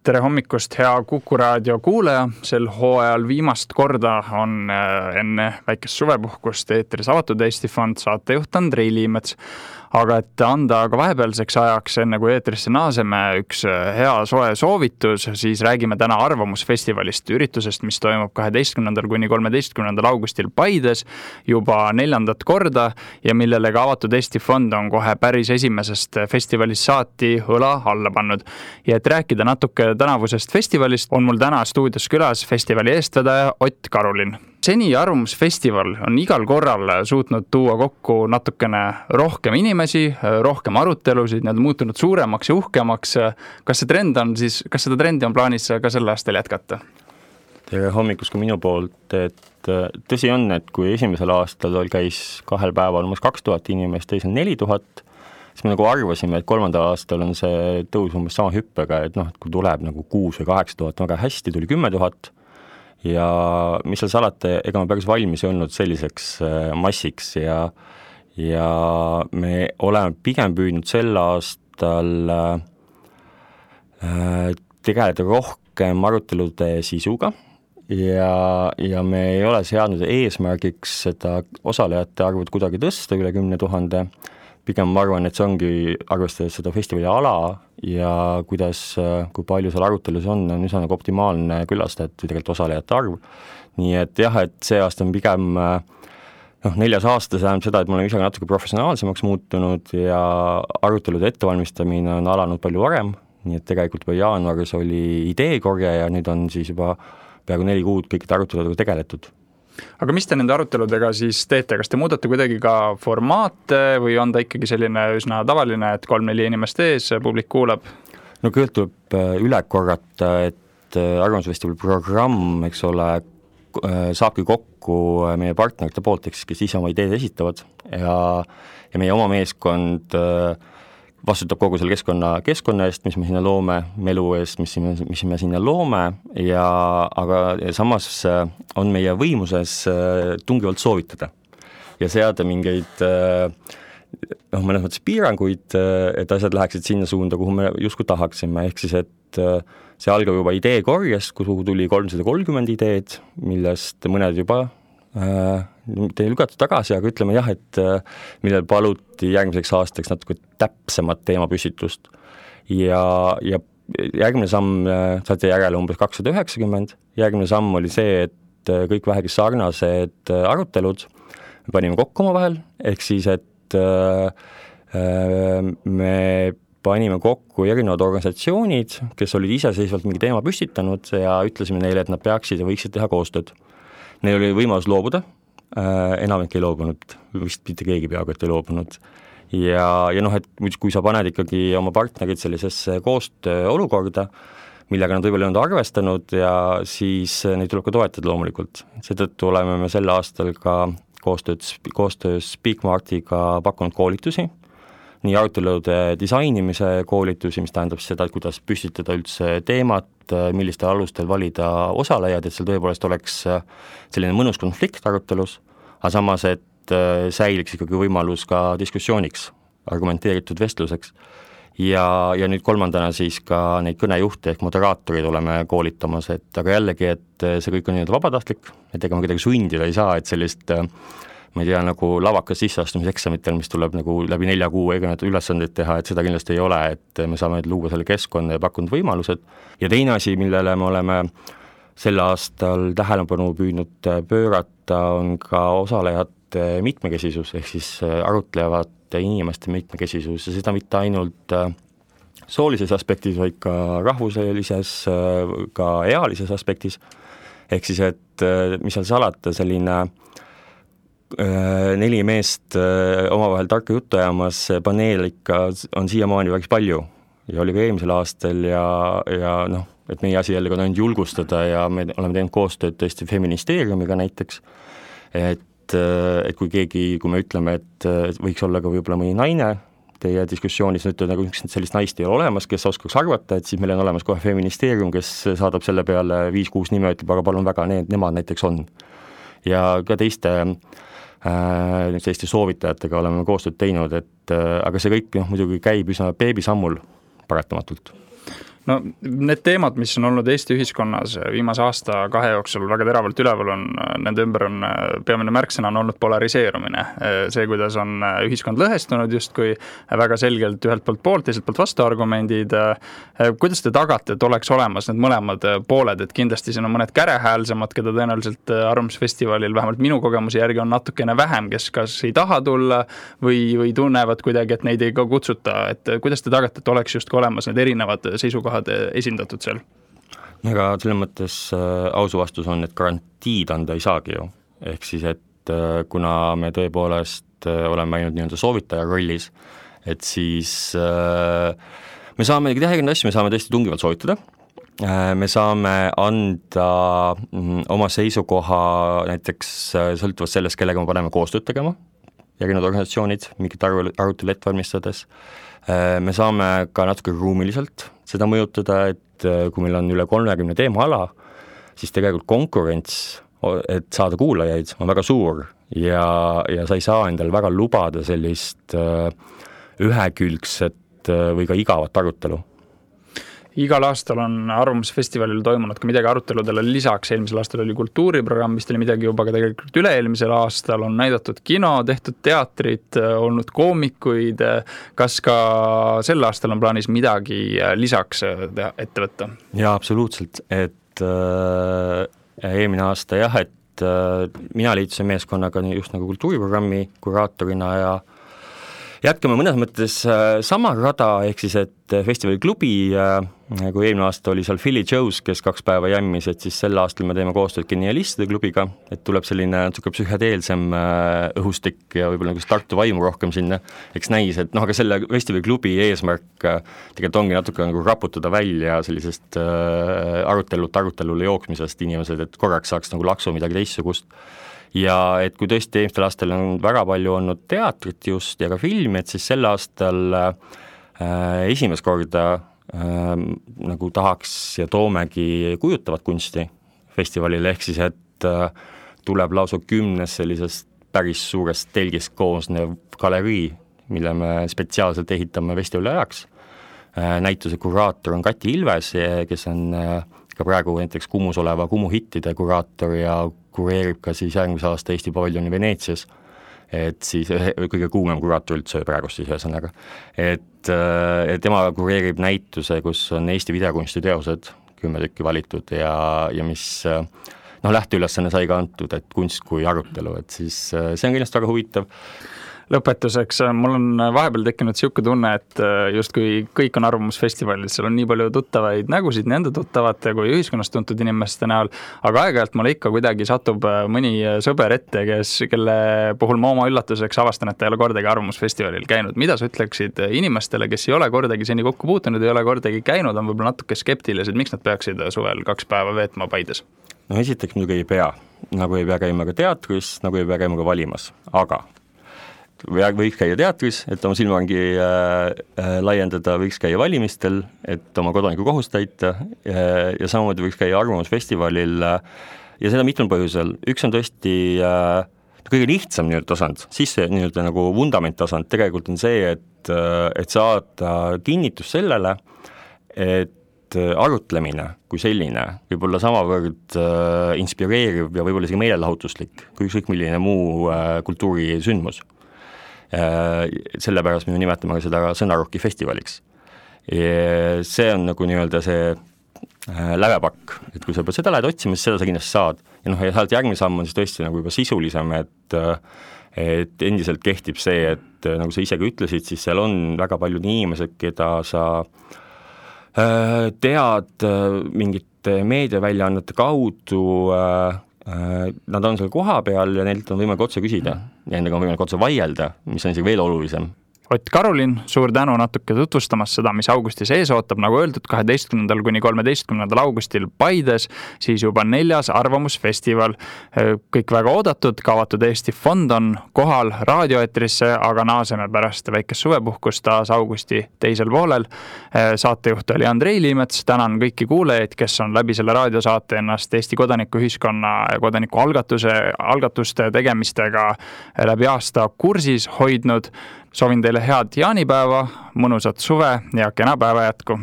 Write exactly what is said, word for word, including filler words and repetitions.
Tere hommikust, hea Kuku raadio kuulaja. Sel hooajal viimast korda on enne väikest suvepuhkust eetris Avatud Eesti Fond saatejuht Andrei Liimets. Aga et anda ka vahepealseks ajaks, enne kui eetrisse naaseme, üks hea soe soovitus, siis räägime täna Arvamusfestivalist, üritusest, mis toimub kaheteistkümnendal kuni kolmeteistkümnendal augustil Paides juba neljandat korda ja millele ka Avatud Eesti Fond on kohe päris esimesest festivalist saati õla alla pannud. Ja et rääkida natuke tänavusest festivalist, on mul täna stuudios külas festivali eestvedaja Ott Karulin. Seni Arvamusfestival on igal korral suutnud tuua kokku natukene rohkem inimesi, rohkem arutelusid, need on muutunud suuremaks ja uhkemaks. Kas see trend on siis, kas seda trendi on plaanis ka sel aastal jätkata? Tere hommikust ka minu poolt, et tõsi on, et kui esimesel aastal käis kahel päeval umbes kaks tuhat inimest, teisel neli tuhat, siis me nagu arvasime, et kolmandal aastal on see tõus umbes sama hüppega, et noh, et kui tuleb nagu kuus või kaheksa tuhat, väga hästi tuli kümme tuhat, ja mis seal salata, ega me päris valmis ei olnud selliseks massiks ja, ja me oleme pigem püüdnud sel aastal äh, tegeleda rohkem arutelude sisuga ja, ja me ei ole seadnud eesmärgiks seda osalejate arvud kuidagi tõsta üle kümne tuhande. Pigem ma arvan, et see ongi arvestades seda festivali ala ja kuidas, kui palju seal arutelus on, on üsna nagu optimaalne külastajad või tegelikult osalejate arv. Nii et jah, et see aasta on pigem noh, neljas aasta tähendab seda, et me oleme ise natuke professionaalsemaks muutunud ja arutelude ettevalmistamine on alanud palju varem, nii et tegelikult juba jaanuaris oli ideekorje ja nüüd on siis juba peaaegu neli kuud kõikide aruteludega tegeletud. Aga mis te nende aruteludega siis teete? Kas te muudate kuidagi ka formaate või on ta ikkagi selline üsna tavaline, et kolm-neli inimest ees, publik kuulab? No kõigepealt tuleb üle korrata, et Arvamusfestivali programm, eks ole, saabki kokku meie partnerite poolt, kes ise oma ideed esitavad ja, ja meie oma meeskond vastutab kogu selle keskkonna, keskkonna eest, mis me sinna loome, melu eest, mis, mis me sinna loome, ja, aga ja samas on meie võimuses tungivalt soovitada ja seada mingeid noh, mõnes mõttes piiranguid, et asjad läheksid sinna suunda, kuhu me justkui tahaksime, ehk siis, et see algab juba ideekorjest, kuhu tuli kolmsada kolmkümmend ideed, millest mõned juba te ei lügatud tagasi, aga ütleme jah, et millel paluti järgmiseks aastaks natuke täpsemat teemapüsitust ja, ja järgmine samm saati järele umbes kakssada üheksakümmend, järgmine samm oli see, et kõik vähegi sarnased arutelud me panime kokku oma vahel, ehk siis, et me panime kokku erinevad organisatsioonid, kes olid iseseisvalt mingi teema püstitanud ja ütlesime neile, et nad peaksid ja võiksid teha koostööd. Neil oli võimalus loobuda, enamik ei loobunud, vist mitte keegi peaaegu, et ei loobunud. Ja, ja noh, et kui sa paned ikkagi oma partnerid sellisesse koostöö olukorda, millega nad võib-olla ei olnud arvestanud ja siis neid tuleb ka toetada loomulikult. Seetõttu oleme me sel aastal ka koostööd, koostöös Speakmartiga pakkunud koolitusi, nii arutelude disainimise koolitusi, mis tähendab seda, et kuidas püstitada üldse teemat, millistel alustel valida osalejad, et seal tõepoolest oleks selline mõnus konflikt arutelus, aga samas, et säiliks ikkagi võimalus ka diskussiooniks, argumenteeritud vestluseks. Ja, ja nüüd kolmandana siis ka neid kõnejuhte ehk moderaatorid oleme koolitamas, et aga jällegi, et see kõik on nii vabatahtlik, et ega me kuidagi sundida ei saa, et sellist ma ei tea, nagu lavakas sisseastumiseksamitel, mis tuleb nagu läbi nelja kuu erinevaid ülesandeid teha, et seda kindlasti ei ole, et me saame luua selle keskkonna ja pakkunud võimalused. Ja teine asi, millele me oleme sel aastal tähelepanu püüdnud pöörata, on ka osalejate mitmekesisus, ehk siis arutlevate inimeste mitmekesisus ja seda mitte ainult soolises aspektis, vaid ka rahvuselises, ka ealises aspektis. Ehk siis, et mis seal salata, selline neli meest omavahel tarka juttu ajamas, paneel ikka on siiamaani väga palju ja oli ka eelmisel aastal ja, ja noh, et meie asi jällegi on ainult julgustada ja me oleme teinud koostööd tõesti feministeeriumiga näiteks, et, et kui keegi, kui me ütleme, et võiks olla ka võib-olla mõni naine teie diskussioonis, ütled nagu sellist naist ei ole olemas, kes oskaks arvata, et siis meil on olemas kohe feministeerium, kes saadab selle peale viis-kuus nime, ütleb, aga palun väga, need, nemad näiteks on. Ja ka teiste Äh, selliste soovitajatega oleme koostööd teinud, et äh, aga see kõik noh, muidugi käib üsna beebisammul paratamatult. no need teemad, mis on olnud Eesti ühiskonnas viimase aasta kahe jooksul väga teravalt üleval on, nende ümber on peamine märksõna on olnud polariseerumine. See, kuidas on ühiskond lõhestunud justkui väga selgelt ühelt poolt poolt, teiselt poolt vastuargumendid. Kuidas te tagate, et oleks olemas need mõlemad pooled, et kindlasti siin on mõned kärehäälsemad, keda tõenäoliselt Arvamusfestivalil vähemalt minu kogemuse järgi on natukene vähem, kes kas ei taha tulla või, või tunnevad kuidagi, et neid ei ka kutsuta. Et kuidas te tagate, et oleks justkui olemas need erinevad seisukohad esindatud seal? Aga selles mõttes äh, ausu vastus on, et garantiid anda ei saagi ju. Ehk siis, et äh, kuna me tõepoolest äh, oleme ainult nii-öelda soovitaja rollis, et siis äh, me saame teha erinevaid asju, me saame tõesti tungivalt soovitada, äh, me saame anda mm, oma seisukoha näiteks äh, sõltuvalt sellest, kellega me paneme koostööd tegema, erinevad organisatsioonid, mingit arutelu ette valmistades. Me saame ka natuke ruumiliselt seda mõjutada, et kui meil on üle kolmekümne teemaala, siis tegelikult konkurents, et saada kuulajaid, on väga suur ja, ja sa ei saa endale väga lubada sellist ühekülgset või ka igavat arutelu. Igal aastal on Arvamusfestivalil toimunud ka midagi aruteludele lisaks, eelmisel aastal oli kultuuriprogramm, vist oli midagi juba ka tegelikult üle-eelmisel aastal, on näidatud kino, tehtud teatrit, olnud koomikuid, kas ka sel aastal on plaanis midagi lisaks ette võtta? Jaa, absoluutselt, et äh, eelmine aasta jah, et äh, mina liitusin meeskonnaga just nagu kultuuriprogrammi kuraatorina ja jätkame mõnes mõttes äh, sama rada, ehk siis, et festivali klubi, äh, kui eelmine aasta oli seal Philly Joe's, kes kaks päeva jämmis, et siis sel aastal me teeme koostööd genialistide klubiga, et tuleb selline natuke psühhedeelsem äh, õhustik ja võib-olla nagu Tartu vaimu rohkem sinna, eks näis, et noh, aga selle festivali klubi eesmärk äh, tegelikult ongi natuke nagu raputada välja sellisest äh, arutelult arutelule jooksmisest inimesed, et korraks saaks nagu laksu midagi teistsugust. Ja et kui tõesti eelmistel aastal on väga palju olnud teatrit just ja ka filmi, et siis sel aastal äh, esimest korda äh, nagu tahaks ja toomegi kujutavat kunsti festivalile, ehk siis, et äh, tuleb lausa kümnes sellisest päris suurest telgist koosnev galerii, mille me spetsiaalselt ehitame festivali ajaks. Äh, näituse kuraator on Kati Ilves, kes on äh, ka praegu näiteks Kumus oleva Kumu hittide kuraator ja kureerib ka siis järgmise aasta Eesti paviljoni Veneetsias, et siis kõige kuumem kuraator üldse praegu siis ühesõnaga. Et, et tema kureerib näituse, kus on Eesti videokunsti teosed, kümme tükki valitud ja, ja mis noh, lähteülesanne sai ka antud, et kunst kui arutelu, et siis see on kindlasti väga huvitav. Lõpetuseks, mul on vahepeal tekkinud siuke tunne, et justkui kõik on Arvamusfestivalil, seal on nii palju tuttavaid nägusid, nende tuttavate kui ühiskonnast tuntud inimeste näol, aga aeg-ajalt mulle ikka kuidagi satub mõni sõber ette, kes, kelle puhul ma oma üllatuseks avastan, et ta ei ole kordagi Arvamusfestivalil käinud. Mida sa ütleksid inimestele, kes ei ole kordagi seni kokku puutunud, ei ole kordagi käinud, on võib-olla natuke skeptilised, miks nad peaksid suvel kaks päeva veetma Paides? No esiteks muidugi ei pea, nagu ei pea käima ka teatris, nagu ei pea käima ka valimas, aga võiks käia teatris, et oma silmaringi äh, äh, laiendada, võiks käia valimistel, et oma kodaniku kohust täita äh, ja samamoodi võiks käia Arvamusfestivalil äh, ja seda mitmel põhjusel. Üks on tõesti äh, kõige lihtsam nii-öelda tasand, siis see nii-öelda nagu vundament tasand tegelikult on see, et, äh, et saada kinnitus sellele, et arutlemine kui selline võib olla samavõrd äh, inspireeriv ja võib-olla isegi meelelahutuslik kui ükskõik milline muu äh, kultuurisündmus. Sellepärast me nimetame seda sõnarokki festivaliks. Ja see on nagu nii-öelda see lävepakk, et kui sa pead seda lähed otsima, siis seda sa kindlasti saad. Ja noh, ja sealt järgmine samm on siis tõesti nagu juba sisulisem, et, et endiselt kehtib see, et nagu sa ise ka ütlesid, siis seal on väga paljud inimesed, keda sa tead mingite meediaväljaannete kaudu, nad on seal koha peal ja neilt on võimalik otse küsida ja nendega on võimalik otse vaielda, mis on isegi veel olulisem. Ott Karulin, suur tänu natuke tutvustamas seda, mis augustis ees ootab, nagu öeldud, kaheteistkümnendal kuni kolmeteistkümnendal augustil Paides, siis juba neljas Arvamusfestival. Kõik väga oodatud, kaavatud Eesti fond on kohal raadioetrisse, aga naaseme pärast väikest suvepuhkust taas augusti teisel poolel. Saatejuht oli Andrei Liimets, tänan kõiki kuulajaid, kes on läbi selle raadiosaate ennast Eesti kodanikuühiskonna ja kodanikualgatuse, algatuste tegemistega läbi aasta kursis hoidnud. Soovin teile head jaanipäeva, mõnusat suve ja kena päeva jätku.